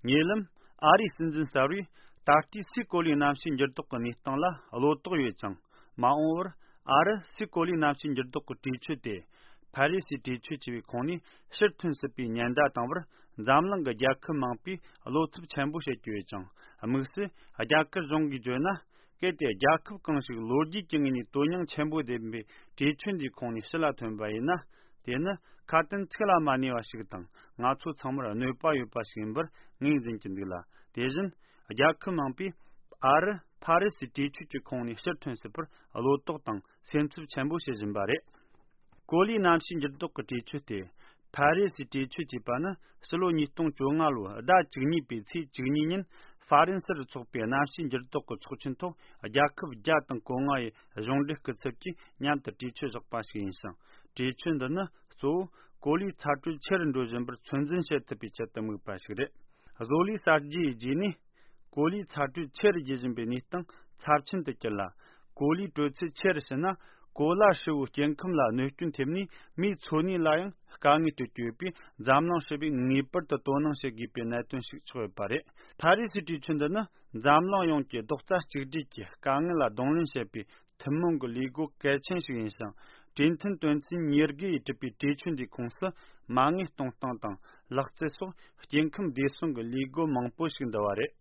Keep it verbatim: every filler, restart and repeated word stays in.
ཉེ་ལམ་ཨ་རིའི་སྲིད་འཛིན་གསར་བས་ད་ལྟའི་སའི་གོ་ལའི་གནམ་གཤིས་འགྱུར་ལྡོག་གི་གནས་སྟངས་ལ་བློ་དོགས་ཡོད་ཅིང་། མ་འོངས་པར་ཨ་རི་སའི་གོ་ལའི་གནམ་གཤིས་འགྱུར་ལྡོག་གི་གྲོས་ཆོད་དེ་ཕ་རི་སིའི་གྲོས་ཆོད་ཅེས་པའི་ཁོངས་ནས་ཕྱིར་ཐོན་སྲིད་པའི་ཉེན་བརྡ་བཏང་བར་འཛམ་གླིང་གི་རྒྱལ་ཁབ་མང་པོས་བློ་འཚབ་ཆེན་པོ་བྱེད་ཀྱི་ཡོད་ཅིང་། དམིགས་སུ་རྒྱ་གར་གཞུང་གིས་བརྗོད་ན། གལ་ཏེ་རྒྱལ་ཁབ་གང་ཞིག་ལོ་རྒྱུས་ཀྱི་ངོས་ནས་དོན་སྙིང་ཆེན་པོ་ལྡན་པའི་གྲོས་ཆོད་འདིའི་ཁོངས་ནས་ཕྱི་ལ་ཐོན་པ་ཡིན་ན། དེ་ནི་ཁ་དན་ཚིག་ལ་མ་གནས་པ་ཞིག་དང་། ང་ཚོ་ཚང་མར་གནོད་པ་ཡོད་པ་ཞིག་ཡིན་པར་ངོས་འཛིན་གྱི་འདུག་ལ། དེ་བཞིན་རྒྱལ་ཁབ་མང་པོས་ཨ་རི་ཕ་རི་སིའི་གྲོས་ཆོད་ཀྱི་ཁོངས་ནས་ཕྱིར་ཐོན་སྲིད་པར་བློ་དོགས་དང་སེམས་འཚབ་ཆེན་པོ་བྱེད་བཞིན་པ་རེད། གོ་ལའི་གནམ་གཤིས་འགྱུར་ལྡོག་གི་གྲོས་ཆོད་དེ། ཕ་རི་སིའི་གྲོས་ཆོད་ཅེས་པ་ནི་ཕྱི་ལོ་ཉིས་སྟོང་བཅོ་ལྔ་ལོའི་ཟླ་བཅུ་གཉིས་པའི་ཚེས་བཅུ་གཉིས་ཉིན་ཧྥ་རན་སིར་འཚོགས་པའི་གནམ་གཤིས་འགྱུར་ལྡོག་གི་ཚོགས་ཆེན་ཐོག་རྒྱལ་ཁབ་བརྒྱ་དང་གོ་ལྔ་ཡི་གཞུང་འབྲེལ་སྐུ་ཚབ་ཀྱིས་མཉམ་དུ་གྲོས་ཆོད་བཞག་པ་ཞིག་ཡིན་ཞིང་། གྲོས་ཆོད་འདི་ནི་གཙོ་བོ་གོ་ལའི་ཚ་དྲོད་ཆེ་རུ་འགྲོ་བཞིན་པར་ཚོད་འཛིན་བྱེད་ཐུབ་པའི་ཆེད་དུ་དམིགས་པ་ཞིག་རེད། བཟོ་ལས་གསར་བརྗེའི་རྗེས་ནས། གོ་ལའི་ཚ་དྲོད་ཆེ་རུ་རྒྱས་བཞིན་པའི་གནས་སྟངས་ཚབས་ཆེན་དུ་གྱུར་ལ། གོ་ལའི་དྲོད་ཚད་ཆེ་རུ་ཕྱིན་ན། གོ་ལ་ཧྲིལ་བོའི་སྐྱེ་ཁམས་ལ་གནོད་སྐྱོན་ཐེབས་ནས། མིའི་འཚོ་གནས་ལ་ཡང་དཀའ་ངལ་སྤྲོད་ཀྱི་ཡོད་པས། འཛམ་གླིང་ཧྲིལ་པོས་ངེས་པར་དུ་དོ་སྣང་བྱེད་དགོས་པའི་གནད་དོན་ཞིག་ཆགས་ཡོད་པ་རེད། ཕ་རི་སིའི་གྲོས་ཆོད་འདི་ནི། འཛམ་གླིང་ཡོངས་ཀྱི་རྡོག་རྩ་གཅིག་སྒྲིལ་གྱི་དཀའ་ངལ་ལ་གདོང་ལེན་བྱེད་པའི་ཐུན་མོང་གི་ལས་སྒོ་གལ་ཆེན་ཞིག་ཡིན་ཞིང་། གྲོས་མཐུན་དོན་ཚན་ཉེར་དགུ་ཡིས་གྲུབ་པའི་གྲོས་ཆོད་འདིའི་ཁོངས་སུ། མ་དངུལ་གཏོང་སྟངས་དང་། ལག་རྩལ་སོགས་སྐྱེ་ཁམས་བདེ་སྲུང་གི་ལས་སྒོ་མང་པོ་ཞིག་འདུ་བ་རེད།